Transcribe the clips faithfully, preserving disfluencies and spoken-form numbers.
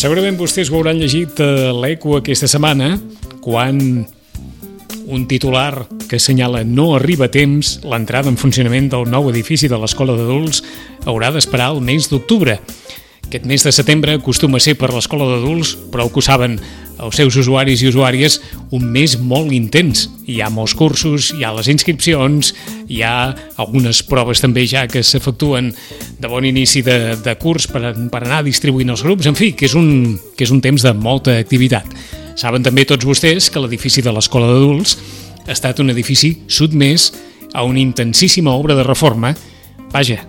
Segurament vostès ho hauran llegit a l'Eco aquesta setmana, quan un titular que assenyala no arriba a temps l'entrada en funcionament del nou edifici de l'Escola d'Adults haurà d'esperar el mes d'octubre. Aquest mes de setembre acostuma a ser per l'Escola d'Adults, prou que ho saben els seus usuaris i usuàries, un mes molt intens. Hi ha molts cursos, hi ha les inscripcions, hi ha algunes proves també ja que s'efectuen de bon inici de, de curs per, per anar distribuint els grups, en fi, que és, un, que és un temps de molta activitat. Saben també tots vostès que l'edifici de l'Escola d'Adults ha estat un edifici sotmès a una intensíssima obra de reforma, vaja,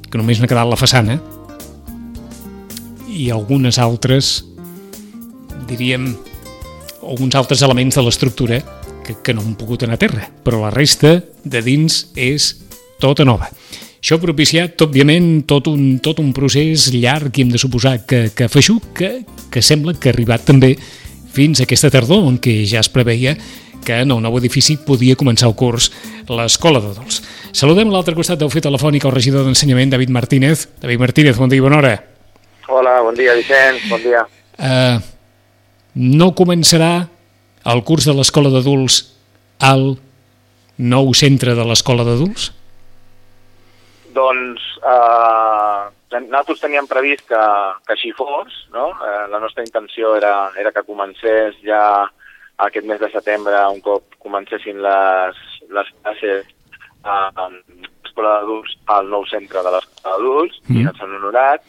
que només n'ha quedat la façana, i algunes altres, diríem, alguns altres elements de l'estructura que, que no han pogut anar a terra, però la resta de dins és tota nova. Això ha propiciat, òbviament, tot un, tot un procés llarg i hem de suposar que, que feixuc, que, que sembla que ha arribat també fins a aquesta tardor, en què ja es preveia que en el nou edifici podia començar el curs l'Escola d'Adults. Saludem a l'altre costat del fil telefònic el regidor d'Ensenyament, David Martínez. David Martínez, bon dia i bona hora. Hola, bon dia, Vicent, bon dia. Uh, no començarà el curs de l'Escola d'Adults al nou centre de l'Escola d'Adults? Doncs uh, nosaltres teníem previst que, que així fos, no? Uh, la nostra intenció era, era que comencés ja aquest mes de setembre, un cop comencessin les, les classes a l'Escola d'Adults al nou centre de l'Escola d'Adults, mm. i ens han honorat.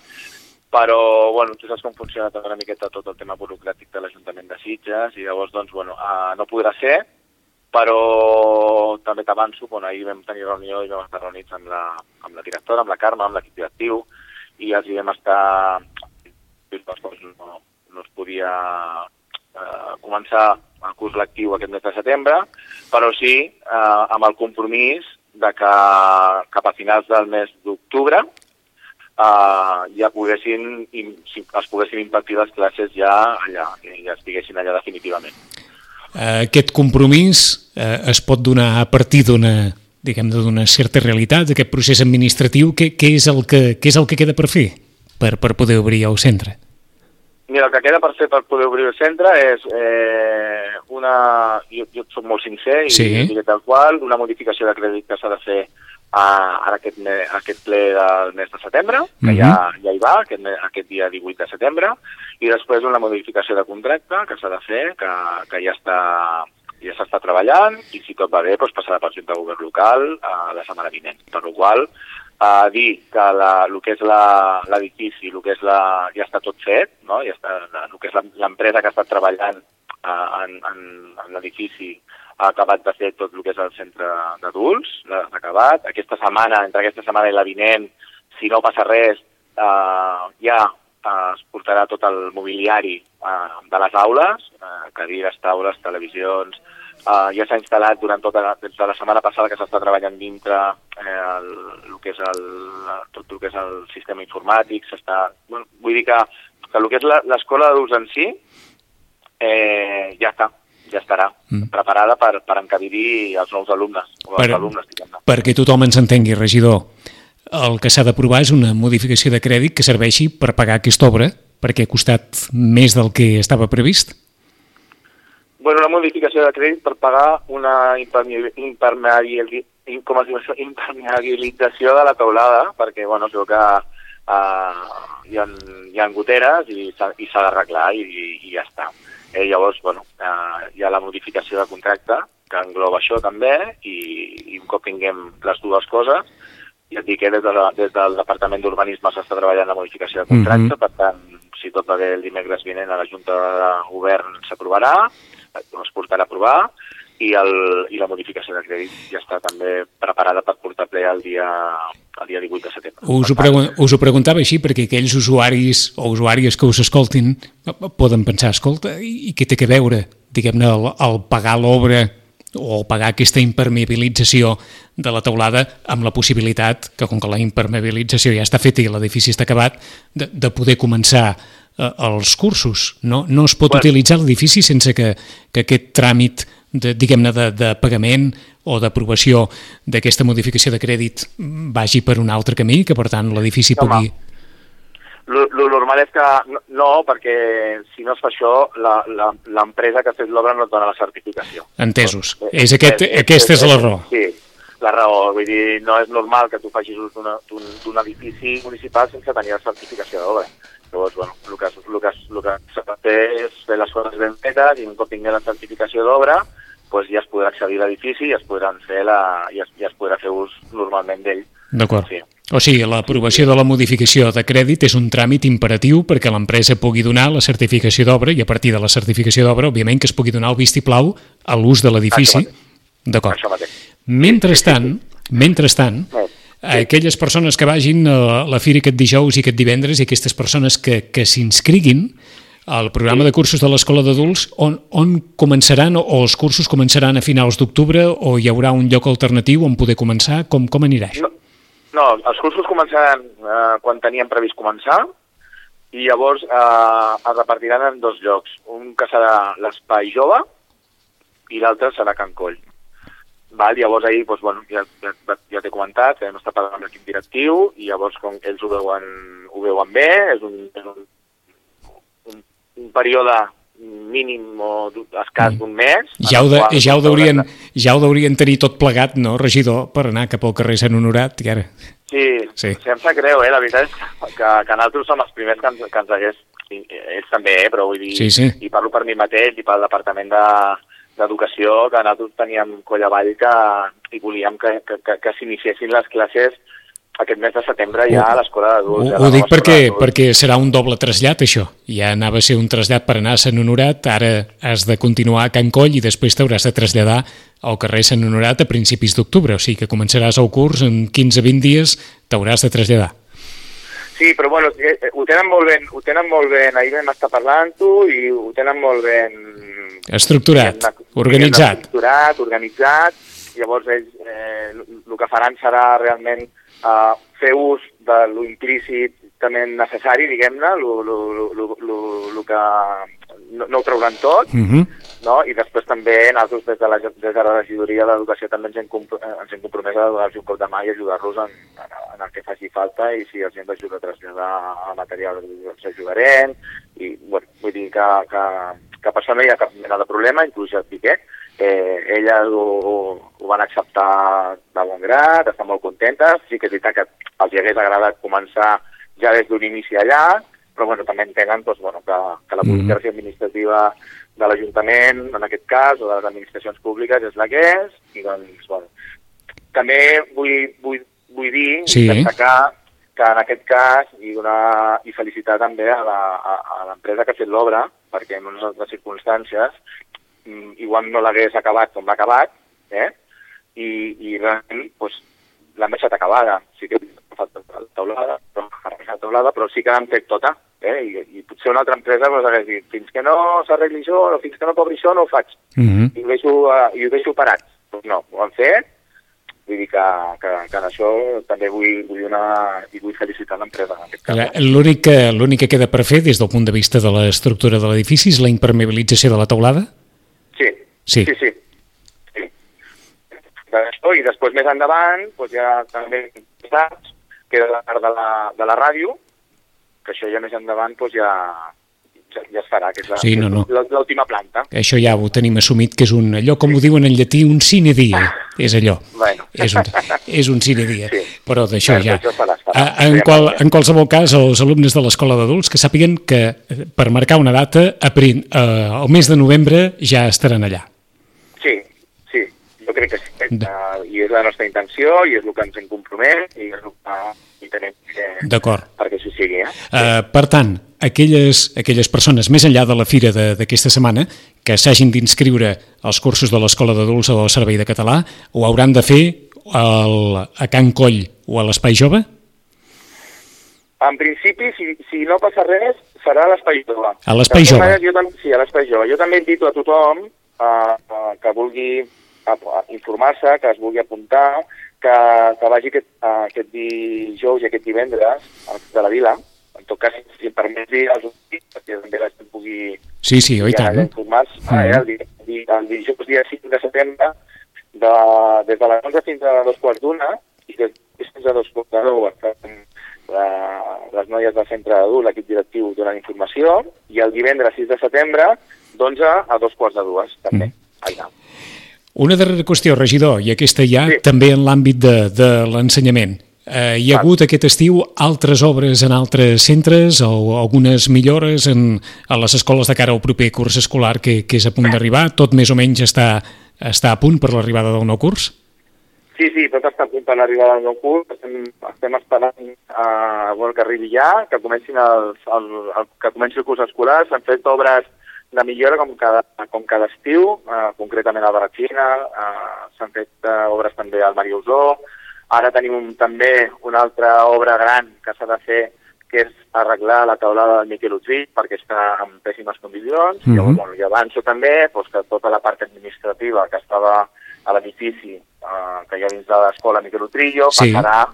Però, bueno, tu saps com funciona una miqueta tot el tema burocràtic de l'Ajuntament de Sitges i llavors, doncs, bueno, uh, no podrà ser, però també t'avanço, bueno, ahir vam tenir reunió i vam estar reunits amb la, amb la directora, amb la Carme, amb l'equip directiu, i els hi vam estar... No, no es podia uh, començar el curs lectiu aquest mes de setembre, però sí uh, amb el compromís de que cap a finals del mes d'octubre Uh, ja poguessin, si es poguessin impartir les classes ja allà, que ja estiguessin allà definitivament. Aquest compromís uh, es pot donar a partir d'una, diguem, d'una certa realitat, d'aquest procés administratiu. Què, què, és el que, què és el que queda per fer per, per poder obrir el centre? Mira, el que queda per fer per poder obrir el centre és eh, una... Jo, jo soc molt sincer i sí. diré tal qual, una modificació de crèdit que s'ha de fer a, a aquest, me, aquest ple del mes de setembre, que mm-hmm. ja, ja hi va, aquest, aquest dia divuit de setembre, i després una modificació de contracte que s'ha de fer, que, que ja està ja s'està treballant, i si tot va bé, doncs passarà pel Junta de Govern local uh, la setmana vinent. Per la qual uh, dir que la, el que és l'edifici, el que és la, ja està tot fet, no? Ja està, el que és l'empresa que ha estat treballant uh, en, en, en l'edifici ha acabat de fer tot el que és el centre d'adults, l'ha acabat. Aquesta setmana, entre aquesta setmana i la vinent, si no passa res, eh, ja eh, es portarà tot el mobiliari eh, de les aules, eh, cadires, taules, televisions. Eh, ja s'ha instal·lat durant tota la, des de la setmana passada que s'està treballant dintre eh, el, el que és el, tot el que és el sistema informàtic. S'està, bueno, vull dir que, que el que és l'escola d'adults en si eh, ja està. ja estarà mm. preparada per, per encabir-hi els nous alumnes. O els per, alumnes perquè tothom ens entengui, regidor, el que s'ha d'aprovar és una modificació de crèdit que serveixi per pagar aquesta obra, perquè ha costat més del que estava previst? Bueno, una modificació de crèdit per pagar una impermeabilització, com es diu això? impermeabilització de la teulada, perquè bueno, es veu que uh, hi, ha, hi ha goteres i s'ha d'arreglar i, i, i ja està. Eh, llavors, bueno, eh, hi ha la modificació de contracte que engloba això també i, i un cop tinguem les dues coses, ja et dic que des, de la, des del Departament d'Urbanisme s'està treballant la modificació de contracte, mm-hmm. per tant, si tot va bé el dimecres vinent a la Junta de Govern s'aprovarà, es portarà a aprovar, i, el, i la modificació de crèdit ja està també preparada per portar ple el dia, el dia divuit de setembre. Us ho, pregun us ho preguntava així perquè aquells usuaris o usuàries que us escoltin poden pensar, escolta, i, i què té que veure, diguem-ne, el, el pagar l'obra o pagar aquesta impermeabilització de la teulada amb la possibilitat que, com que la impermeabilització ja està feta i l'edifici està acabat, de, de poder començar eh, els cursos. No, no es pot bueno. utilitzar l'edifici sense que, que aquest tràmit de, diguem-ne, de, de pagament o d'aprovació d'aquesta modificació de crèdit vagi per un altre camí, que per tant l'edifici pugui... el normal és que no, perquè si no es fa això, l'empresa que ha fet l'obra no et dona la certificació. Entesos. És aquest, és, aquesta és, és la raó. Sí, la raó. Vull dir, no és normal que tu facis ús d'un edifici municipal sense tenir la certificació d'obra. Llavors, bueno, el que, el que, el que s'ha de fer és fer les coses ben fetes i un cop tinguem la certificació d'obra, doncs ja es podrà accedir a l'edifici i es podran fer la, ja, es, ja es podrà fer ús normalment d'ell. D'acord. Sí. O sigui, l'aprovació de la modificació de crèdit és un tràmit imperatiu perquè l'empresa pugui donar la certificació d'obra i a partir de la certificació d'obra, òbviament, que es pugui donar el vistiplau a l'ús de l'edifici. D'acord. Mentrestant, mentrestant, aquelles persones que vagin a la fira aquest dijous i aquest divendres i aquestes persones que, que s'inscriguin al programa de cursos de l'Escola d'Adults, on, on començaran, o els cursos començaran a finals d'octubre, o hi haurà un lloc alternatiu on poder començar? Com, com anirà això? No, no, els cursos començaran eh, quan teníem previst començar, i llavors eh, es repartiran en dos llocs. Un que serà l'Espai Jove i l'altre serà Can Coll. Val, llavors ahir, doncs, bueno, ja, ja, ja t'he comentat, hem estat parlant amb l'equip directiu i llavors com ells ho veuen, ho veuen bé, és un, és un, un, un període mínim o escàs d'un mes. Ja ho, de, ja, ho deurien, ja ho deurien tenir tot plegat, no, regidor, per anar cap al carrer Sant Honorat, i ara... Sí, sí, sí, em sap greu, eh? La veritat és que, que nosaltres som els primers que ens, que ens hagués... Ells també, eh? Però vull dir... Sí, sí. I parlo per mi mateix i pel departament de... d'educació, que nosaltres teníem coll avall que, i volíem que, que, que, que s'iniciessin les classes aquest mes de setembre ja a l'Escola d'Adults. Ho, ho dic perquè, perquè serà un doble trasllat, això. Ja anava a ser un trasllat per anar a Sant Honorat, ara has de continuar a Can Coll i després t'hauràs de traslladar al carrer Sant Honorat a principis d'octubre, o sigui que començaràs el curs en quinze a vint dies, t'hauràs de traslladar. Sí, però bueno, ho tenen molt ben, ho tenen molt ben, ahir vam estar parlant-ho i ho tenen molt ben... Estructurat, organitzat. Estructurat, organitzat, llavors ells eh, el que faran serà realment eh, fer ús de lo implícitament necessari, diguem-ne, el que no, no ho trauran tot, uh-huh. no? I després també nosaltres des de la, des de la regidoria d'Educació també ens hem, ens hem compromès a donar-los un cop de mà i ajudar-los en, en, en el que faci falta i si els hem d'ajudar a traslladar el material els ajudarem i bueno, vull dir que, que, que per això no hi ha cap mena de problema, inclús ja et dic, eh? Eh, elles ho, ho, ho van acceptar de bon grat, estan molt contentes, sí que és veritat que els hi hagués agradat començar ja des d'un inici allà, però bueno, també entenen doncs, bueno, que, que la burocràcia administrativa de l'Ajuntament, en aquest cas, o de les administracions públiques, és la que és, i doncs, bueno, també vull, vull, vull dir, sí. destacar que en aquest cas, i, donar, i felicitar també a l'empresa que ha fet l'obra, perquè en unes altres circumstàncies, igual no l'hagués acabat com l'ha acabat, eh? I, i realment doncs, l'han deixat acabada. Sí que ha faltat la taulada, però, la taulada, però sí que l'han fet tota. Eh? I, I potser una altra empresa doncs, hagués dit, fins que no s'arregli això, o fins que no cobri això, no ho faig. Uh-huh. I, ho deixo, uh, I ho deixo parat. Doncs no, ho han fet. Vull dir que, que, que en això també vull, vull donar i vull felicitar l'empresa en aquest cas. L'únic que, l'únic que queda per fer des del punt de vista de l'estructura de l'edifici és la impermeabilització de la teulada? Sí, sí, sí. sí. sí. I després més endavant, doncs ja també saps, queda la part de la, de la ràdio, que això ja més endavant doncs ja, ja, ja es farà, que és la, sí, no, no. l'última planta. Això ja ho tenim assumit, que és un, allò, com ho diuen en llatí, un sine die, és allò. Bueno. És un, és un sine die, sí. Però d'això ja. Això farà, farà. En, qual, en qualsevol cas, els alumnes de l'Escola d'Adults que sàpiguen que per marcar una data, a prin, eh, el mes de novembre ja estaran allà. Sí, sí, jo crec que sí. Uh, I és la nostra intenció, i és el que ens hem compromès, i és el que tenim que... D'acord. Perquè això sigui, eh? Uh, per tant, aquelles, aquelles persones, més enllà de la fira d'aquesta setmana, que s'hagin d'inscriure als cursos de l'Escola d'Adults o del Servei de Català, ho hauran de fer al, a Can Coll o a l'Espai Jove? En principi, si, si no passa res, serà a l'Espai Jove. A l'Espai Jove? Jo, sí, a l'Espai Jove. Jo també invito a tothom uh, uh, que vulgui uh, informar-se, que es vulgui apuntar, que, que vagi aquest, uh, aquest dijous i aquest divendres al de la Vila. En tot cas, si em permets dir als últims, perquè també la gent pugui... Sí, sí, oi tant. Informar-se. Mm. Ah, eh, el, di, el dijous dia cinc de setembre, de, des de les onze fins a dos quarts d'una, i després fins a dos quarts de nou, de, les noies del centre d'adult, l'equip directiu donant informació, i el divendres sis de setembre, d'onze a dos quarts de dues, també. Mm. Allà. Una darrera qüestió, regidor, i aquesta ja sí. també en l'àmbit de, de l'ensenyament. Eh, hi ha hagut aquest estiu altres obres en altres centres o algunes millores en, en les escoles de cara al proper curs escolar que, que és a punt d'arribar? Tot més o menys està, està a punt per l'arribada del nou curs? Sí, sí, tot està a punt per l'arribada del nou curs. Estem, estem esperant uh, bueno, que arribi ja, que, comencin els, el, el, que comenci el curs escolar. S'han fet obres de millora com cada, com cada estiu, uh, concretament a Barratxina, uh, s'han fet uh, obres també al Mariusó. Ara tenim un, també una altra obra gran que s'ha de fer, que és arreglar la taulada del Miquel Utrí, perquè està en pèssimes condicions. Mm-hmm. Llavors, bueno, i avanço també doncs, que tota la part administrativa que estava a l'edifici eh, que hi ha dins de l'escola Miquel Utrillo sí. passarà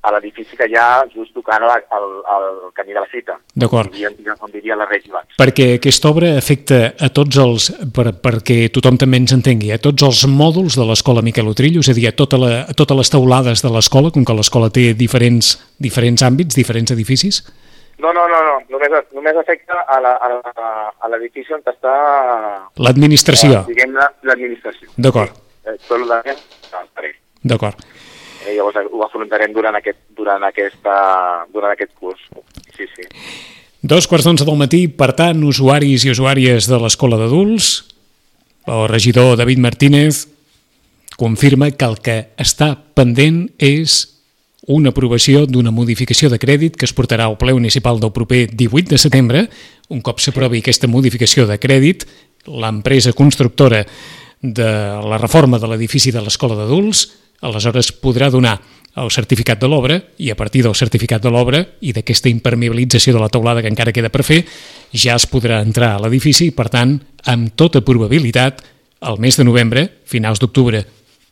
a l'edifici que hi ha just tocant el, el, el camí de la Cita. D'acord. Com diria la Regia abans. Perquè aquesta obra afecta a tots els, per, perquè tothom també ens entengui, a tots els mòduls de l'escola Miquel Utrillo, és a dir, a, tota la, a totes les teulades de l'escola, com que l'escola té diferents, diferents àmbits, diferents edificis? No, no, no, no. Només, només afecta a l'edifici on està... L'administració. Eh, Diguem-ne, l'administració. D'acord. Sí. Tot el de... No, D'acord. Eh, llavors ho afrontarem durant aquest, durant, aquesta, durant aquest curs. Sí, sí. Dos quarts d'onze del matí, per tant, usuaris i usuàries de l'escola d'adults, el regidor David Martínez confirma que el que està pendent és una aprovació d'una modificació de crèdit que es portarà al ple municipal del proper divuit de setembre. Un cop s'aprovi aquesta modificació de crèdit, l'empresa constructora de la reforma de l'edifici de l'escola d'adults aleshores podrà donar el certificat de l'obra i a partir del certificat de l'obra i d'aquesta impermeabilització de la teulada que encara queda per fer, ja es podrà entrar a l'edifici i, per tant, amb tota probabilitat, al mes de novembre, finals d'octubre,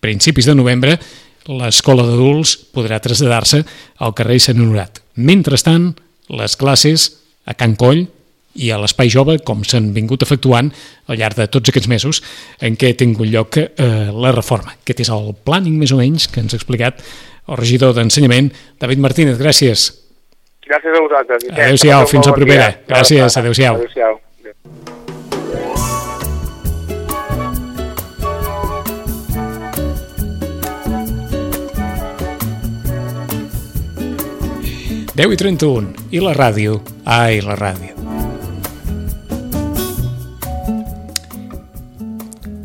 principis de novembre, l'escola d'adults podrà traslladar-se al carrer Sant Honorat. Mentrestant, les classes a Can Coll i a l'Espai Jove, com s'han vingut efectuant al llarg de tots aquests mesos en què ha tingut lloc eh, la reforma. Aquest és el planning, més o menys, que ens ha explicat el regidor d'Ensenyament, David Martínez. Gràcies. Gràcies a vosaltres. Adéu-siau, fins la propera. Gràcies, adéu-siau. Adéu-siau. deu i trenta-un. I la ràdio? Ai, la ràdio.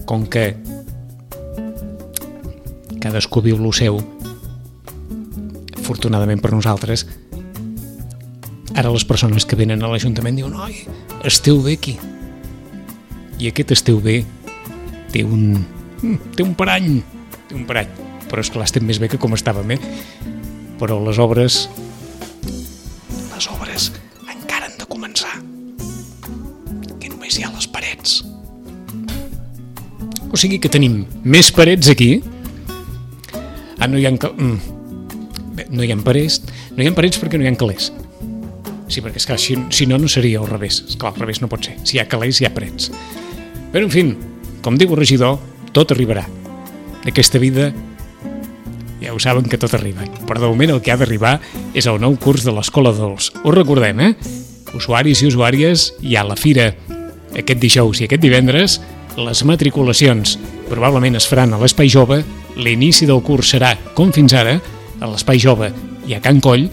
Com que cadascú viu lo seu, afortunadament per nosaltres, ara les persones que venen a l'Ajuntament diuen oi, esteu bé aquí. I aquest esteu bé té un, té un parany, té un parany. Però és clar, estem més bé que com estàvem, eh? Però les obres, les obres encara han de començar. Que només hi ha les parets. O sigui que tenim més parets aquí. Ah, no hi ha... Bé, no hi ha parets. No hi ha parets perquè no hi ha calés. Sí, perquè esclar, si, si no, no seria al revés. Esclar, al revés no pot ser. Si hi ha calés, hi ha parets. Però, en fi, com diu el regidor, tot arribarà. Aquesta vida, ja ho saben que tot arriba. Però de moment el que ha d'arribar és el nou curs de l'Escola d'Adults. Ho recordem, eh? Usuaris i usuàries, hi ha la fira aquest dijous i aquest divendres. Les matriculacions probablement es faran a l'Espai Jove, l'inici del curs serà, com fins ara, a l'Espai Jove i a Can Coll,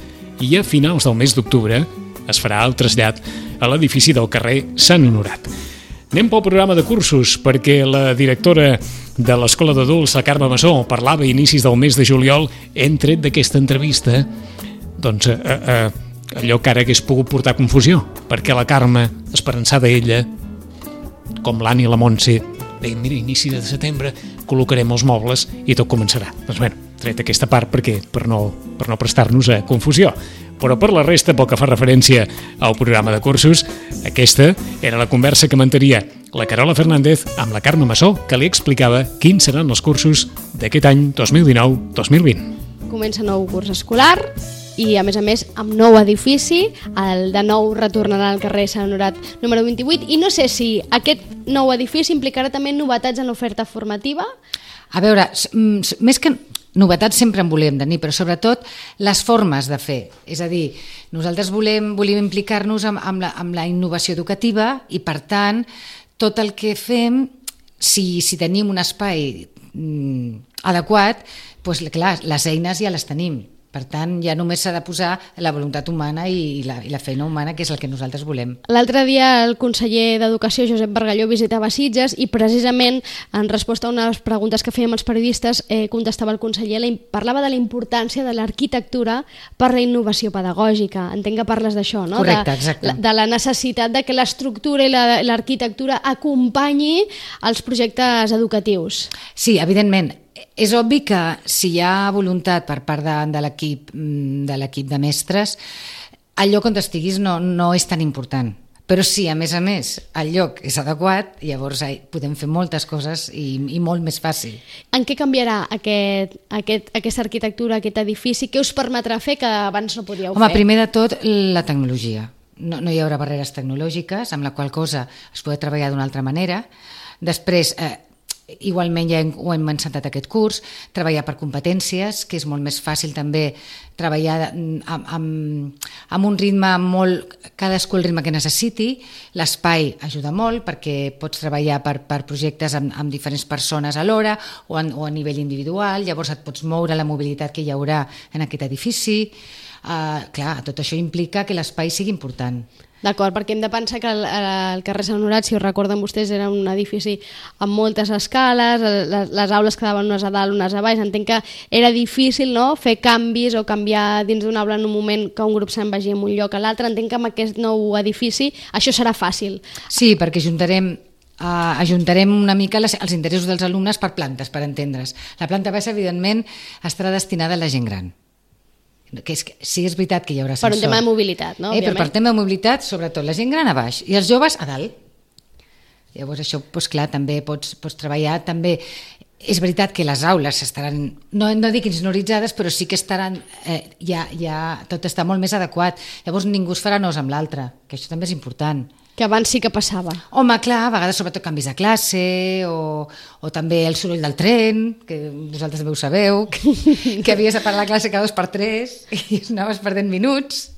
i a finals del mes d'octubre es farà el trasllat a l'edifici del carrer Sant Honorat. Anem pel programa de cursos, perquè la directora de l'Escola d'Adults, la Carme Massó, parlava a inicis del mes de juliol, hem tret d'aquesta entrevista doncs, eh, eh, allò que ara hagués pogut portar confusió, perquè la Carme, esperançada ella, com l'Anna i la Montse, bé, mira, inici de setembre col·locarem els mobles i tot començarà. Doncs bé, tret aquesta part perquè per no, per no prestar-nos a confusió. Però per la resta, pel que fa referència al programa de cursos, aquesta era la conversa que mantenia la Carola Fernández amb la Carme Massó, que li explicava quins seran els cursos d'aquest any dos mil dinou dos mil vint. Comença nou curs escolar i, a més a més, amb nou edifici, el de nou retornarà al carrer Sant Honorat número vint-i-vuit, i no sé si aquest nou edifici implicarà també novetats en l'oferta formativa. A veure, més que... novetats sempre en volem tenir, però sobretot les formes de fer. És a dir, nosaltres volem, volem implicar-nos amb, amb, la, amb la innovació educativa i, per tant, tot el que fem, si, si tenim un espai mm, adequat, doncs, clar, les eines ja les tenim. Per tant, ja només s'ha de posar la voluntat humana i la, i la feina humana, que és el que nosaltres volem. L'altre dia el conseller d'Educació, Josep Bargalló, visitava Sitges i precisament en resposta a una de les preguntes que fèiem els periodistes eh, contestava el conseller, parlava de la importància de l'arquitectura per la innovació pedagògica. Entenc que parles d'això, no? Correcte, exacte. De, de la necessitat de que l'estructura i l'arquitectura acompanyi els projectes educatius. Sí, evidentment. És obvi que si hi ha voluntat per part de, de l'equip de l'equip de mestres, el lloc on estiguis no, no és tan important. Però sí, a més a més, el lloc és adequat, llavors podem fer moltes coses i, i molt més fàcil. En què canviarà aquest, aquest, aquesta arquitectura, aquest edifici? Què us permetrà fer que abans no podíeu Home, fer? Primer de tot, la tecnologia. No, no hi haurà barreres tecnològiques, amb la qual cosa es podrà treballar d'una altra manera. Després, eh, igualment ja hem, ho hem encetat aquest curs, treballar per competències, que és molt més fàcil també treballar amb, amb, amb un ritme molt, cadascú el ritme que necessiti. L'espai ajuda molt perquè pots treballar per, per projectes amb, amb diferents persones alhora o, en, o a nivell individual, llavors et pots moure la mobilitat que hi haurà en aquest edifici. Uh, clar, tot això implica que l'espai sigui important. D'acord, perquè hem de pensar que el, el carrer Sant Honorat, si ho recorden vostès, era un edifici amb moltes escales, les, les aules quedaven unes a dalt, unes a baix. Entenc que era difícil, no?, fer canvis o canviar dins d'una aula en un moment que un grup se'n vagi en un lloc a l'altre. Entenc que amb aquest nou edifici això serà fàcil. Sí, perquè juntarem Uh, ajuntarem una mica les, els interessos dels alumnes per plantes, per entendre's. La planta baixa, evidentment, estarà destinada a la gent gran. Que és, sí, és veritat que hi haurà ascensor. Per un tema de mobilitat, no? Eh, però per tema de mobilitat, sobretot, la gent gran a baix i els joves a dalt. Llavors això, doncs clar, també pots, pots treballar, també és veritat que les aules estaran, no, no dic insonoritzades, però sí que estaran, eh, ja, ja tot està molt més adequat. Llavors ningú es farà nos amb l'altre, que això també és important. Que abans sí que passava. Home, clar, a vegades sobretot canvis de classe o, o també el soroll del tren, que vosaltres també ho sabeu, que, que havies de parar la classe cada dos per tres i anaves perdent minuts.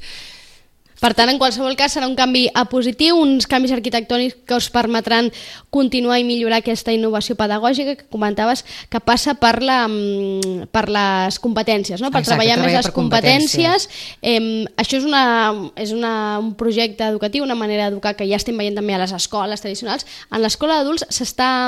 Per tant, en qualsevol cas, serà un canvi a positiu, uns canvis arquitectònics que us permetran continuar i millorar aquesta innovació pedagògica que comentaves, que passa per, la, per les competències, no? Per Exacte, treballar més les competències. competències. Eh, això és, una, és una, un projecte educatiu, una manera d'educar que ja estem veient també a les escoles tradicionals. En l'escola d'adults s'està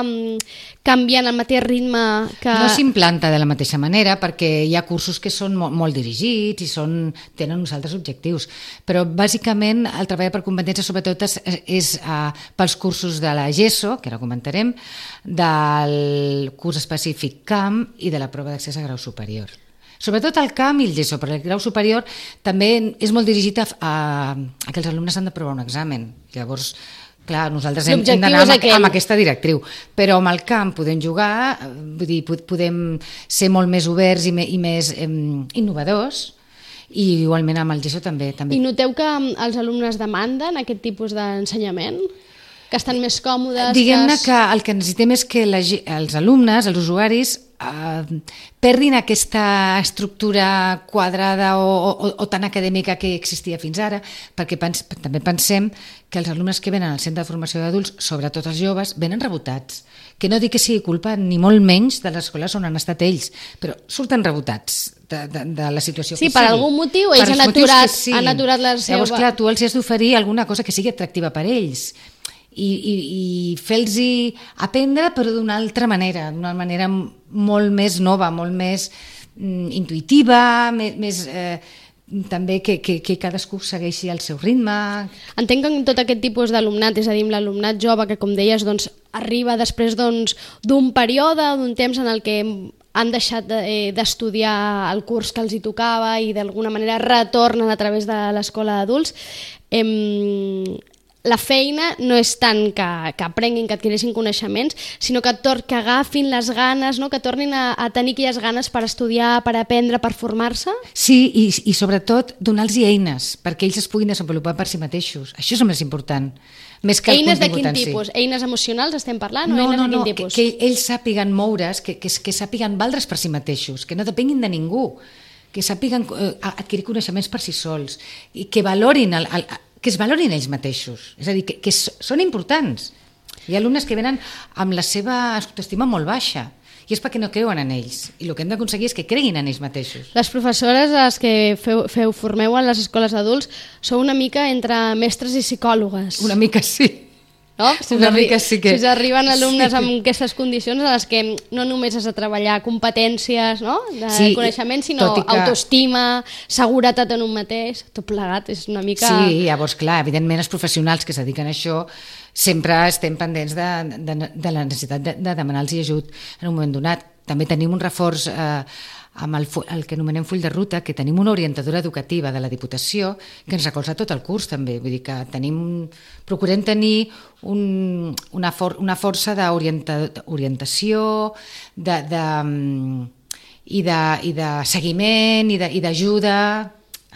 canviant al mateix ritme que... No s'implanta de la mateixa manera perquè hi ha cursos que són molt, molt dirigits i són, tenen uns altres objectius, però bàsicament el treball per competències sobretot és, és uh, pels cursos de la GESO, que ara comentarem, del curs específic CAM i de la prova d'accés a grau superior. Sobretot el CAM i el GESO, però el grau superior també és molt dirigit a, a, a que els alumnes han de provar un examen. Llavors, clar, nosaltres hem, hem d'anar amb, amb aquesta directriu, però amb el camp podem jugar, vull dir, podem ser molt més oberts i, me, i més eh, innovadors, i igualment amb el GESO també, també. I noteu que els alumnes demanden aquest tipus d'ensenyament? Que estan més còmodes? Diguem-ne que, es... que el que necessitem és que la, els alumnes, els usuaris, eh, perdin aquesta estructura quadrada o, o, o tan acadèmica que existia fins ara, perquè pens, també pensem que els alumnes que venen al centre de formació d'adults, sobretot els joves, venen rebotats. Que no dic que sigui culpa ni molt menys de les escoles on han estat ells, però surten rebotats de, de, de la situació sí, que sigui. Sí, per algun motiu ells han aturat, sí. han aturat la seva... Llavors, clar, tu els has d'oferir alguna cosa que sigui atractiva per ells i, i, i fer-los aprendre però d'una altra manera, d'una manera molt més nova, molt més mm, intuïtiva, més... més eh, també que, que, que cadascú segueixi el seu ritme. Entenc que en tot aquest tipus d'alumnat, és a dir, l'alumnat jove que, com deies, doncs, arriba després doncs, d'un període, d'un temps en el que han deixat d'estudiar de, eh, el curs que els hi tocava i d'alguna manera retornen a través de l'escola d'adults. Eh, la feina no és tant que, que aprenguin, que adquireixin coneixements, sinó que, tor que agafin les ganes, no? Que tornin a, a tenir aquelles ganes per estudiar, per aprendre, per formar-se. Sí, i, i sobretot donar-los eines perquè ells es puguin desenvolupar per si mateixos. Això és el més important. Més que eines de quin tipus? Eines emocionals estem parlant? No, o eines no, de quin no, tipus? que, que ells sàpiguen moure's, que, que, que sàpiguen valdre's per si mateixos, que no depenguin de ningú, que sàpiguen eh, adquirir coneixements per si sols i que valorin el, el, que es valorin ells mateixos, és a dir, que, que són importants. Hi ha alumnes que venen amb la seva autoestima molt baixa i és perquè no creuen en ells, i el que hem d'aconseguir és que creguin en ells mateixos. Les professores, les que feu, feu formeu a les escoles d'adults, sou una mica entre mestres i psicòlogues. Una mica sí. No? Si, una us mica sí que... si us arriben alumnes sí. amb aquestes condicions en les que no només has de treballar competències, no? De sí, coneixement, sinó que... autoestima, seguretat en un mateix, tot plegat, és una mica... Sí, llavors, clar, evidentment els professionals que es dediquen a això sempre estem pendents de, de, de la necessitat de, de demanar-los ajut en un moment donat. També tenim un reforç eh, amb el, el que anomenem full de ruta, que tenim una orientadora educativa de la Diputació que ens recolza tot el curs també, vull dir que tenim, procurem tenir un, una, for, una força d'orientació de, de, i, de, i de seguiment i d'ajuda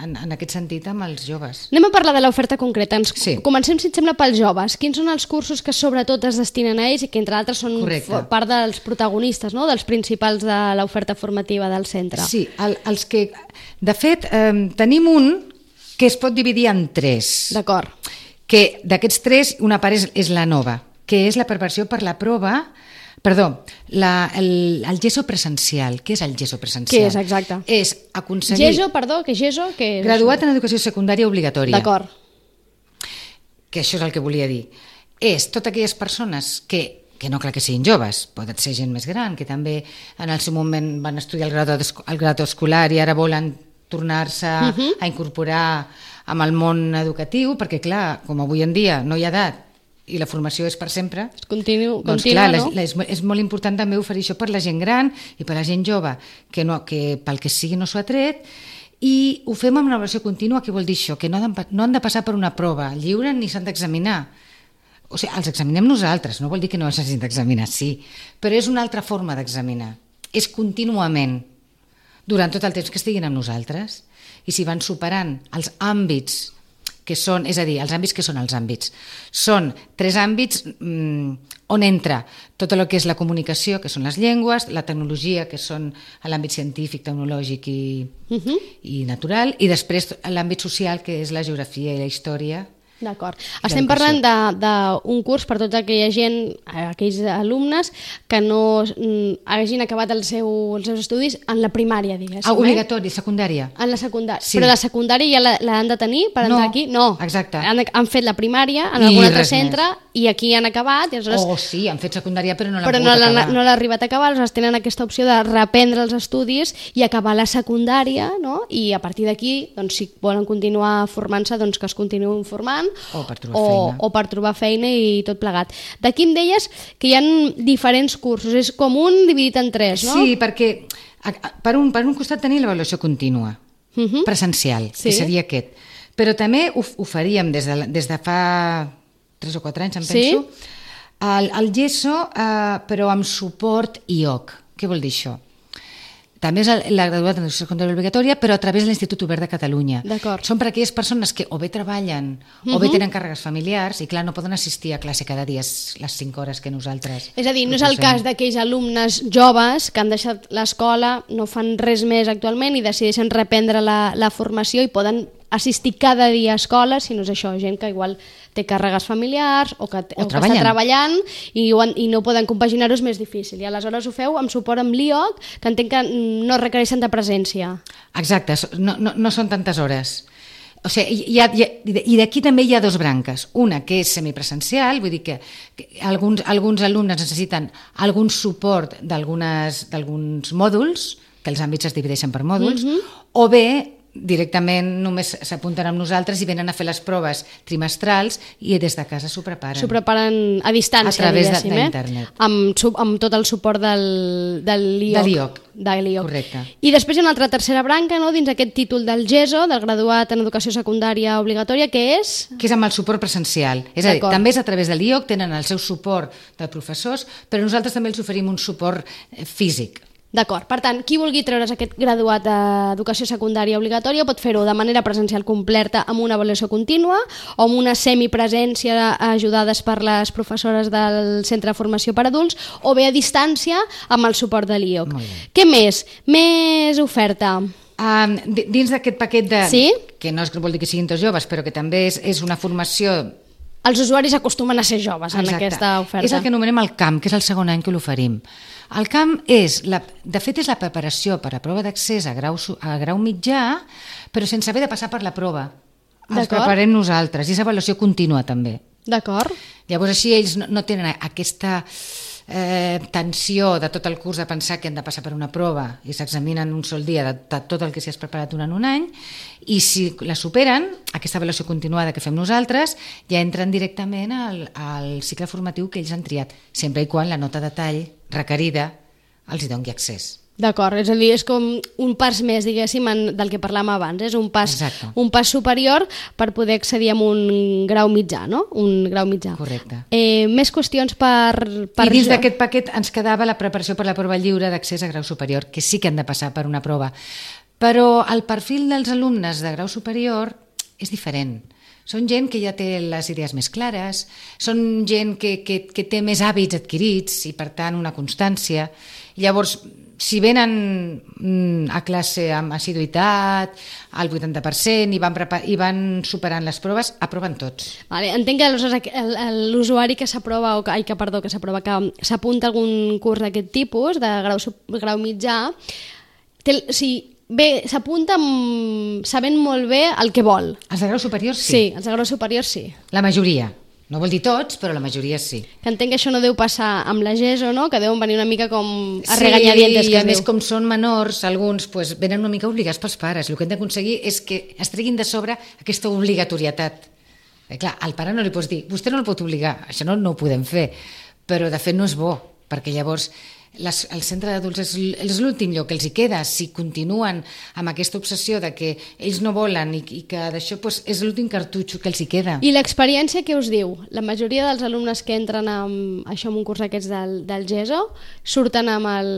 en, en aquest sentit amb els joves. Anem a parlar de l'oferta concreta. Ens sí. Comencem, si et sembla, pels joves. Quins són els cursos que sobretot es destinen a ells i que, entre altres, són Correcte. part dels protagonistes, no? Dels principals de l'oferta formativa del centre? Sí, el, els que... De fet, eh, tenim un que es pot dividir en tres. D'acord. Que d'aquests tres, una part és, és la nova, que és la preparació per la prova... Perdó, la, el, el GESO presencial. Què és el GESO presencial? Què és, exacte? És aconseguir... GESO, perdó, que GESO... Què és graduat això? en educació secundària obligatòria. D'acord. Que això és el que volia dir. És totes aquelles persones que, que no cal que siguin joves, poden ser gent més gran, que també en el seu moment van estudiar el grau, el grau escolar i ara volen tornar-se uh -huh. a incorporar amb el món educatiu, perquè clar, com avui en dia no hi ha edat, i la formació és per sempre, Continu, doncs continua, clar, no? la, és, és molt important també oferir això per la gent gran i per la gent jove, que, no, que pel que sigui no s'ho ha tret, i ho fem amb una avaluació contínua. Què vol dir això? Que no han, de, no han de passar per una prova lliure ni s'han d'examinar. O sigui, els examinem nosaltres, no vol dir que no els hagin d'examinar, sí, però és una altra forma d'examinar. És contínuament, durant tot el temps que estiguin amb nosaltres, i si van superant els àmbits que són, és a dir, els àmbits que són els àmbits. Són tres àmbits mmm, on entra tot el que és la comunicació, que són les llengües, la tecnologia, que són l'àmbit científic, tecnològic i, uh -huh. i natural, i després l'àmbit social, que és la geografia i la història. D'acord. Estem parlant d'un curs per tota aquella gent, aquells alumnes que no mm, hagin acabat el seu, els seus estudis en la primària, diguéssim. Ah, obligatori, secundària. En la secundària. Sí. Però la secundària ja l'han de tenir per no, entrar aquí? No, exacte. Han, han fet la primària en I algun altre centre més. I aquí han acabat. I aleshores... Oh, sí, han fet secundària però no l'han però pogut no acabar. no l'ha arribat a acabar, aleshores tenen aquesta opció de reprendre els estudis i acabar la secundària, no? I a partir d'aquí, doncs, si volen continuar formant-se, doncs que es continuïn formant. O per trobar o, feina. o per trobar feina i tot plegat. D'aquí em deies que hi ha diferents cursos, és com un dividit en tres, no? Sí, perquè per un, per un costat tenir l'avaluació contínua, uh -huh. presencial, sí. que seria aquest. Però també ho, ho faríem des de, des de fa tres o quatre anys, em sí? penso, el, el GESO, eh, però amb suport I O C. Què vol dir això? També és la graduat en educació secundària obligatòria, però a través de l'Institut Obert de Catalunya. Són per aquelles persones que o bé treballen uh-huh. o bé tenen càrregues familiars i, clar, no poden assistir a classe cada dia les cinc hores que nosaltres... És a dir, no és el cas d'aquells alumnes joves que han deixat l'escola, no fan res més actualment i decideixen reprendre la, la formació i poden assistir cada dia a escola, si no és això, gent que igual té càrregues familiars o que, o o que està treballant i, ho, i no poden compaginar-ho, és més difícil. I aleshores ho feu amb suport amb l'I O C, que entenc que no requereixen de presència. Exacte, no, no, no són tantes hores. O sigui, hi ha, hi ha, i d'aquí també hi ha dos branques. Una que és semipresencial, vull dir que, que alguns, alguns alumnes necessiten algun suport d'alguns mòduls, que els àmbits es divideixen per mòduls, uh-huh. o bé directament només s'apunten amb nosaltres i venen a fer les proves trimestrals i des de casa s'ho preparen. S'ho preparen a distància, a través diguéssim, d'internet. Eh? Amb, amb tot el suport del, del I O C. De l'I O C. De l'I O C. Correcte. I després hi ha una altra tercera branca, no?, dins aquest títol del GESO, del graduat en educació secundària obligatòria, que és... Que és amb el suport presencial. És a dir, també és a través de l'I O C, tenen el seu suport de professors, però nosaltres també els oferim un suport físic. D'acord. Per tant, qui vulgui treure's aquest graduat d'educació secundària obligatòria pot fer-ho de manera presencial completa amb una avaluació contínua o amb una semipresència ajudades per les professores del Centre de Formació per Adults o bé a distància amb el suport de l'I O C. Què més? Més oferta? Um, dins d'aquest paquet de... Sí? Que no és que vol dir que siguin tots joves, però que també és, és una formació... Els usuaris acostumen a ser joves en Exacte. Aquesta oferta. És el que anomenem el camp, que és el segon any que l'oferim. El camp és, la, de fet, és la preparació per a prova d'accés a grau, a grau mitjà, però sense haver de passar per la prova. Els preparem nosaltres, i és avaluació contínua també. D'acord. Llavors així ells no, no tenen aquesta eh, tensió de tot el curs de pensar que han de passar per una prova i s'examinen un sol dia de, de tot el que s'hi has preparat durant un any, i si la superen, aquesta avaluació continuada que fem nosaltres, ja entren directament al, al cicle formatiu que ells han triat, sempre i quan la nota de tall requerida els hi doni accés. D'acord, és a dir, és com un pas més, diguéssim, en, del que parlàvem abans, és un pas, un pas superior per poder accedir a un grau mitjà, no? Un grau mitjà. Correcte. Eh, més qüestions per... per I dins jo... d'aquest paquet ens quedava la preparació per la prova lliure d'accés a grau superior, que sí que han de passar per una prova. Però el perfil dels alumnes de grau superior és diferent. Són gent que ja té les idees més clares, són gent que, que, que té més hàbits adquirits i, per tant, una constància. Llavors, si venen a classe amb assiduïtat, al vuitanta per cent, i van, i van superant les proves, aproven tots. Vale, entenc que l'usuari que s'aprova, o que, ai, que, perdó, que s'aprova, que s'apunta a algun curs d'aquest tipus, de grau, grau mitjà, té, o sigui, bé, s'apunta sabent molt bé el que vol. Els de grau superior sí. Sí, els de grau superior sí. La majoria. No vol dir tots, però la majoria sí. Que entenc que això no deu passar amb la GESO, no? Que deuen venir una mica com a regañadientes. Sí, i a més, com són menors, alguns pues, venen una mica obligats pels pares. El que hem d'aconseguir és que es treguin de sobre aquesta obligatorietat. Eh, clar, al pare no li pots dir, vostè no el pot obligar, això no, no ho podem fer, però de fet no és bo, perquè llavors les, el centre d'adults és, és l'últim lloc que els hi queda. Si continuen amb aquesta obsessió de que ells no volen i, i que d'això pues, és l'últim cartutxo que els hi queda. I l'experiència què us diu? La majoria dels alumnes que entren amb, això, en un curs d'aquests del, del GESO surten amb el,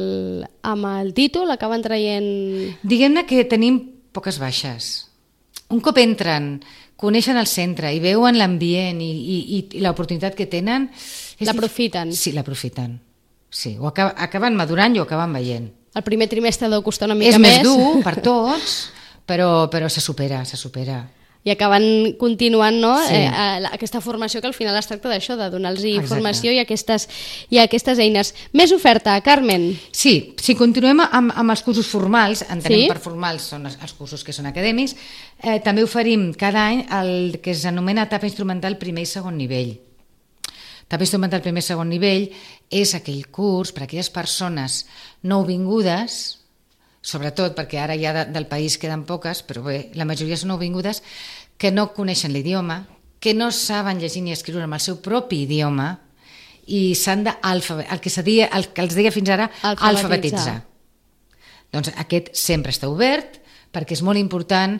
amb el títol, acaben traient... Diguem-ne que tenim poques baixes. Un cop entren, coneixen el centre i veuen l'ambient i, i, i l'oportunitat que tenen... L'aprofiten. Sí, l'aprofiten. Sí, o acab acaben madurant i ho acaben veient. El primer trimestre deu costar una mica més. És més. més dur per tots, però, però se supera, se supera. I acaben continuant, no? Sí. eh, aquesta formació que al final es tracta d'això, de donar-los informació i aquestes, i aquestes eines. Més oferta, Carmen? Sí, si continuem amb, amb els cursos formals, entenem sí? per formals són els, els cursos que són acadèmics, eh, també oferim cada any el que s'anomena etapa instrumental primer i segon nivell. Etapa instrumental primer i segon nivell és aquell curs per a aquelles persones nouvingudes, sobretot perquè ara ja de, del país queden poques, però bé, la majoria són nouvingudes, que no coneixen l'idioma, que no saben llegir ni escriure amb el seu propi idioma i s'han d'alfabetitzar, el que deia, el que els deia fins ara, alfabetitzar. alfabetitzar. Doncs aquest sempre està obert perquè és molt important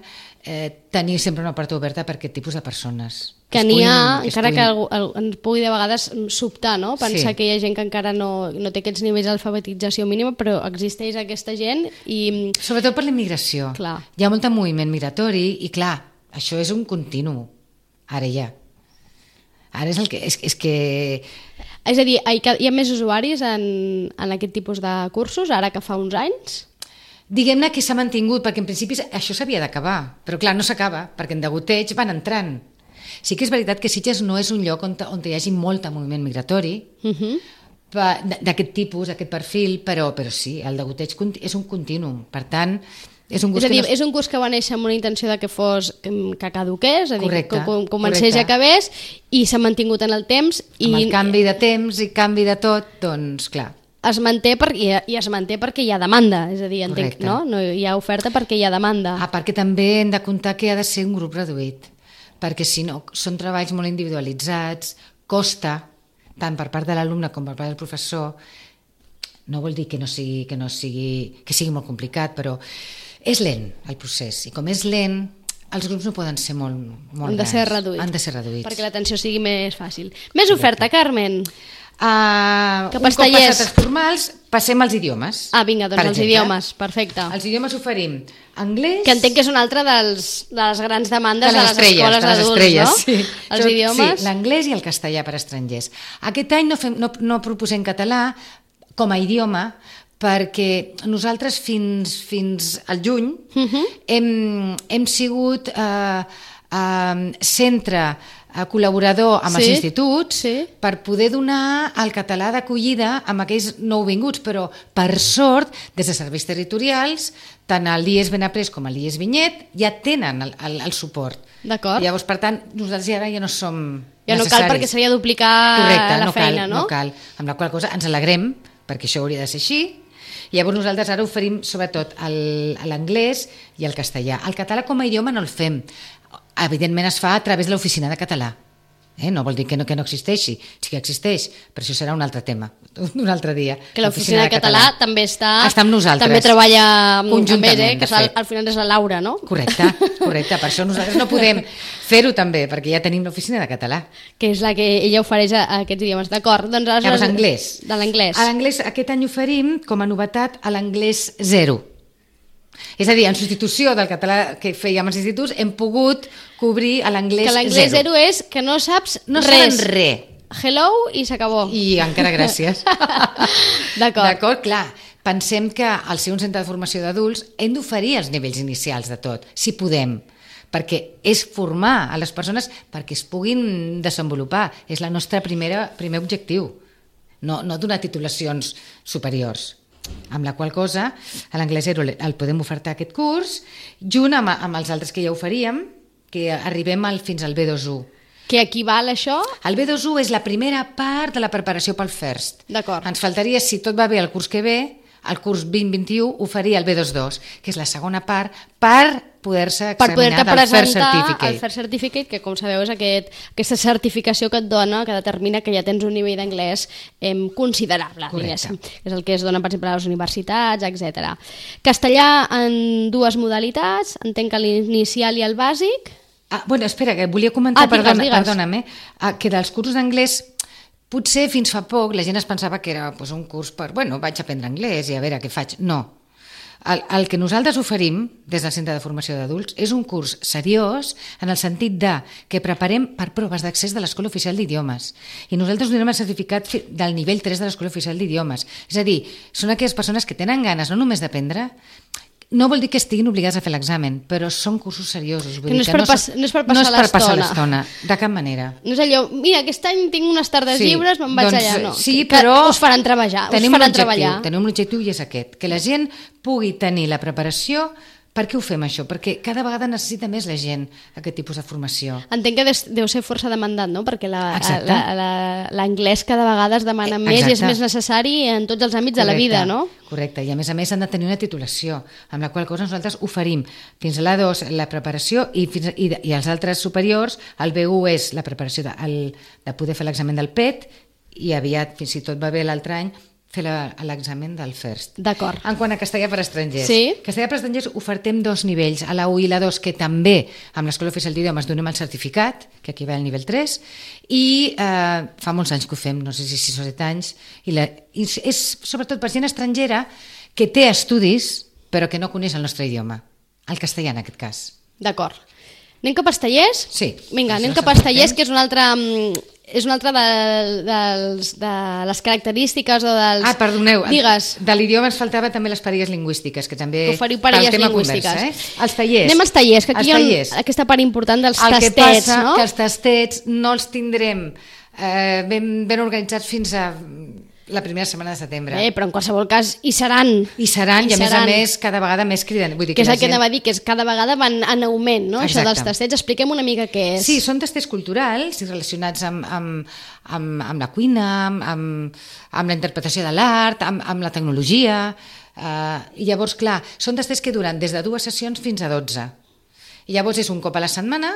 eh, tenir sempre una porta oberta per aquest tipus de persones. Que n'hi ha, encara que algú, ens pugui de vegades sobtar, no? Pensar sí. que hi ha gent que encara no, no té aquests nivells d'alfabetització mínima, però existeix aquesta gent i... Sobretot per la immigració. Clar. Hi ha molt moviment migratori i, clar, això és un continu. Ara ja. Ara és el que... És, és que... És a dir, hi ha més usuaris en, en aquest tipus de cursos, ara que fa uns anys? Diguem-ne que s'ha mantingut, perquè en principi això s'havia d'acabar, però clar, no s'acaba, perquè en degoteig van entrant. Sí que és veritat que Sitges no és un lloc on, on hi hagi molt moviment migratori, uh-huh. d'aquest tipus, d'aquest perfil, però, però sí, el degoteig és un continuum, per tant... És un, és a dir, no... és un curs que va néixer amb una intenció de que fos que, que caduqués, és a dir, correcte, que comencés i acabés, i s'ha mantingut en el temps. I... Amb el canvi de temps i canvi de tot, doncs clar... es manté per, i, i es manté perquè hi ha demanda, és a dir, entenc, no? No hi ha oferta perquè hi ha demanda. Ah, perquè també hem de comptar que ha de ser un grup reduït, perquè si no, són treballs molt individualitzats, costa, tant per part de l'alumne com per part del professor. No vol dir que no sigui, que no sigui, que sigui molt complicat, però és lent el procés, i com és lent, els grups no poden ser molt, molt Han de grans. ser reduïts. Han de ser reduïts. Perquè l'atenció sigui més fàcil. Més oferta, Carmen. Uh, Cap un cop tallers. passat els formals, passem als idiomes. Ah, vinga, doncs Per els exemple. idiomes, perfecte. Els idiomes oferim anglès... Que entenc que és una altra dels, de les grans demandes de les, estrelles, escoles de les d'adults, estrelles, no? sí. Els Tot- idiomes... Sí, l'anglès i el castellà per estrangers. Aquest any no, fem, no, no proposem català com a idioma, perquè nosaltres fins, fins al juny Uh -huh. hem, hem sigut eh, eh, centre eh, col·laborador amb Sí, els instituts sí. per poder donar el català d'acollida amb aquells nouvinguts, però per sort, des de serveis territorials, tant el I E S Benaprés com el I E S Vinyet ja tenen el, el, el suport. D'acord. Llavors, per tant, nosaltres ara ja no som Ja no cal perquè seria duplicar Correcte, la no feina, cal, no? no cal. Amb la qual cosa ens alegrem, perquè això hauria de ser així. Llavors nosaltres ara oferim sobretot el- l'anglès i el castellà. El català com a idioma no el fem. Evidentment es fa a través de l'oficina de català. Eh? No vol dir que no, que no existeixi, sí que existeix, però això serà un altre tema, un altre dia. Que l'oficina de català també està... Està amb nosaltres. També treballa amb Conjuntament, ells, eh? Que de al, fet. al final és la Laura, no? Correcte, correcte. Per això nosaltres no podem fer-ho també, perquè ja tenim l'oficina de català. Que és la que ella ofereix a, a aquests idiomes. D'acord, doncs... Llavors, anglès. De l'anglès. A l'anglès aquest any oferim, com a novetat, a l'anglès zero. És a dir, en substitució del català que fèiem als instituts, hem pogut cobrir a l'anglès Que zero. l'anglès zero és que no saps No res. saben res. Hello i s'acabó. I encara gràcies. D'acord. D'acord, clar. Pensem que al ser un centre de formació d'adults hem d'oferir els nivells inicials de tot, si podem, perquè és formar a les persones perquè es puguin desenvolupar. És la nostra primera, primer objectiu, no, no donar titulacions superiors. Amb la qual cosa, a l'anglès zero el podem ofertar aquest curs, junt amb, amb els altres que ja oferíem, que arribem al, fins al B dos u. Que equival això? El B dos u és la primera part de la preparació pel FIRST. D'acord. Ens faltaria, si tot va bé el curs que ve, el curs vint vint-i-u oferir el B dos dos, que és la segona part per poder-se Per examinar poder-te del FIRST presentar Certificate. el FIRST Certificate, que com sabeu és aquest, aquesta certificació que et dona, que determina que ja tens un nivell d'anglès eh, considerable, diguéssim. És el que es dona, per exemple, a les universitats, etcètera. Castellà en dues modalitats, entenc que l'inicial i el bàsic. Ah, bueno, espera, que volia comentar, Ah, digues, perdona, digues. perdona'm, eh, ah, que dels cursos d'anglès potser fins fa poc la gent es pensava que era pues, un curs per, bueno, vaig a aprendre anglès i a veure què faig. No. El, el que nosaltres oferim des del Centre de Formació d'Adults és un curs seriós en el sentit de que preparem per proves d'accés de l'Escola Oficial d'Idiomes i nosaltres donem el certificat fi- del nivell tres de l'Escola Oficial d'Idiomes. És a dir, són aquelles persones que tenen ganes no només d'aprendre, no vol dir que estiguin obligats a fer l'examen, però són cursos seriosos. Vull Que no dir és per no pas- són- no és per no és passar per passar l'estona. l'estona, de cap manera. No és allò, mira, aquest any tinc unes tardes Sí, lliures, me'n vaig doncs, allà. No, sí, que, però que us faran treballar, us tenim faran un objectiu, treballar. Tenim un objectiu i és aquest, que la gent pugui tenir la preparació. Per què ho fem això? Perquè cada vegada necessita més la gent aquest tipus de formació. Entenc que des- deu ser força demandat, no? Perquè la- Exacte. la- la- l'anglès cada vegada es demana Eh, més i és exacte. més necessari en tots els àmbits de la vida, no? Correcte, i a més a més han de tenir una titulació, amb la qual cosa nosaltres oferim fins a l'A dos la preparació i, fins, i, i els altres superiors, el B u és la preparació de, el, de poder fer l'examen del P E T i aviat, fins i tot va bé l'altre any, fer la- l'examen del FIRST. D'acord. En quant a castellà per estrangers. Sí. Castellà per estrangers ofertem dos nivells, a la u i la dos, que també amb l'Escola Oficial d'Idiomes donem el certificat, que aquí va al nivell tres, i eh, fa molts anys que ho fem, no sé si sis o set anys, i, la, i és sobretot per gent estrangera que té estudis però que no coneix el nostre idioma, el castellà en aquest cas. D'acord. Anem cap a tallers? Sí. Vinga, anem Això cap a s'ha fet tallers, temps. que és una altra... mm, és una altra de, dels, de les característiques o dels... Ah, perdoneu, Digues. de l'idioma ens faltava també les parelles lingüístiques, que també... Que oferiu parelles pel tema lingüístiques. Conversa, eh? Els tallers. Anem als tallers, que aquí Els hi ha tallers. un, aquesta part important dels El que tastets, passa no? que els tastets no els tindrem eh, ben, ben organitzats fins a La primera setmana de setembre. Bé, però en qualsevol cas hi seran. Hi seran, i, i a seran. més a més cada vegada més criden. Vull dir que, que és el gent... que anava a dir, que és cada vegada van en augment, no? Exacte. Això dels tastets. Expliquem una mica què és. Sí, són tastets culturals relacionats amb, amb, amb, amb la cuina, amb, amb, amb la interpretació de l'art, amb, amb la tecnologia. Uh, I llavors, clar, són tastets que duren des de dues sessions fins a dotze. I llavors és un cop a la setmana.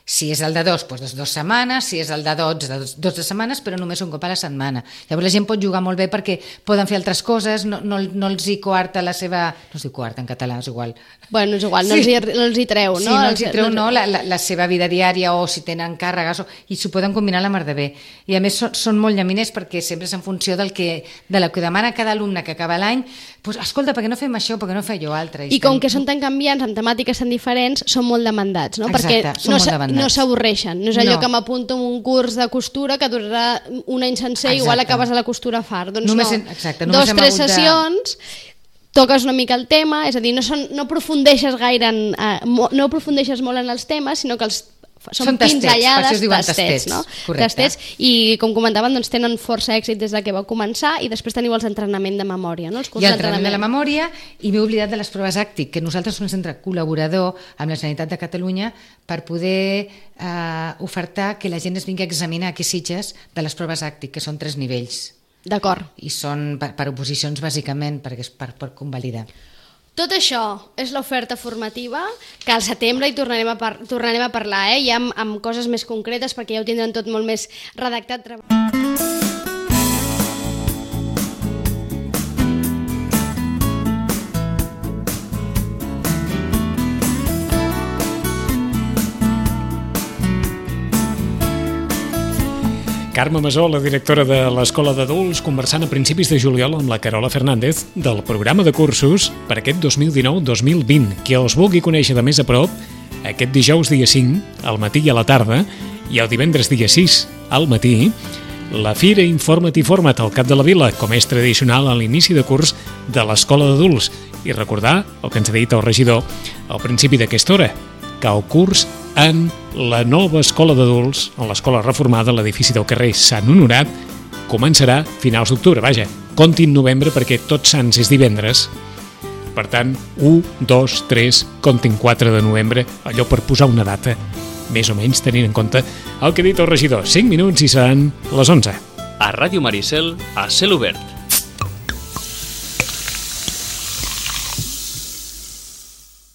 Si és el de dos, doncs dues setmanes, si és el de dotze, de dotze setmanes, però només un cop a la setmana. Llavors la gent pot jugar molt bé perquè poden fer altres coses, no, no, no els hi coarta la seva... No es diu coarta en català, és igual. Bueno, és igual, no, sí. els, hi, no els hi treu, no? Sí, no els hi treu, no, la, la, la seva vida diària o si tenen càrregues, o, i s'ho poden combinar a la mar de bé. I a més són, són molt llaminers perquè sempre és en funció del que, de la que demana cada alumne que acaba l'any, doncs, escolta, per què no fem això, per què no fem allò altre? I, I com estem... que són tan canviants, amb temàtiques tan diferents, són molt demandats, no? Exacte, perquè són no molt demandats. No s'avorreixen, no és allò no. que m'apunto en un curs de costura que durarà un any sencer i igual acabes a la costura fart. Doncs només, no, exacte, dos, tres sessions, de... toques una mica el tema, és a dir, no, són, no aprofundeixes gaire en, eh, no aprofundeixes molt en els temes, sinó que els són, són pinzellades, tastets, tastets, no? Tastets, i com comentaven, doncs, tenen força èxit des de que vau començar i després teniu els entrenament de memòria, no? Els I l'entrenament de la memòria, i m'he oblidat de les proves àctic, que nosaltres som un centre col·laborador amb la Generalitat de Catalunya per poder eh, ofertar que la gent es vingui a examinar aquí a Sitges de les proves àctic, que són tres nivells. D'acord. I són per, per oposicions, bàsicament, perquè és per, per convalidar. Tot això és l'oferta formativa, que al setembre hi tornarem a, par tornarem a parlar, eh? ja amb, amb coses més concretes, perquè ja ho tindran tot molt més redactat. Carme Masó, la directora de l'Escola d'Adults, conversant a principis de juliol amb la Carola Fernández del programa de cursos per aquest dos mil dinou dos mil vint. Qui els vulgui conèixer de més a prop, aquest dijous dia cinc, al matí i a la tarda, i el divendres dia sis, al matí, la Fira Informa't i Forma't al Cap de la Vila, com és tradicional a l'inici de curs de l'Escola d'Adults. I recordar el que ens ha dit el regidor al principi d'aquesta hora, que el curs en la nova escola d'adults, en l'escola reformada, a l'edifici del carrer Sant Honorat, començarà a finals d'octubre. Vaja, comptin novembre perquè Tots Sants és divendres. Per tant, u, dos, tres, comptin quatre de novembre, allò per posar una data, més o menys tenint en compte el que ha dit el regidor. cinc minuts i seran les onze. A Ràdio Maricel, a cel obert.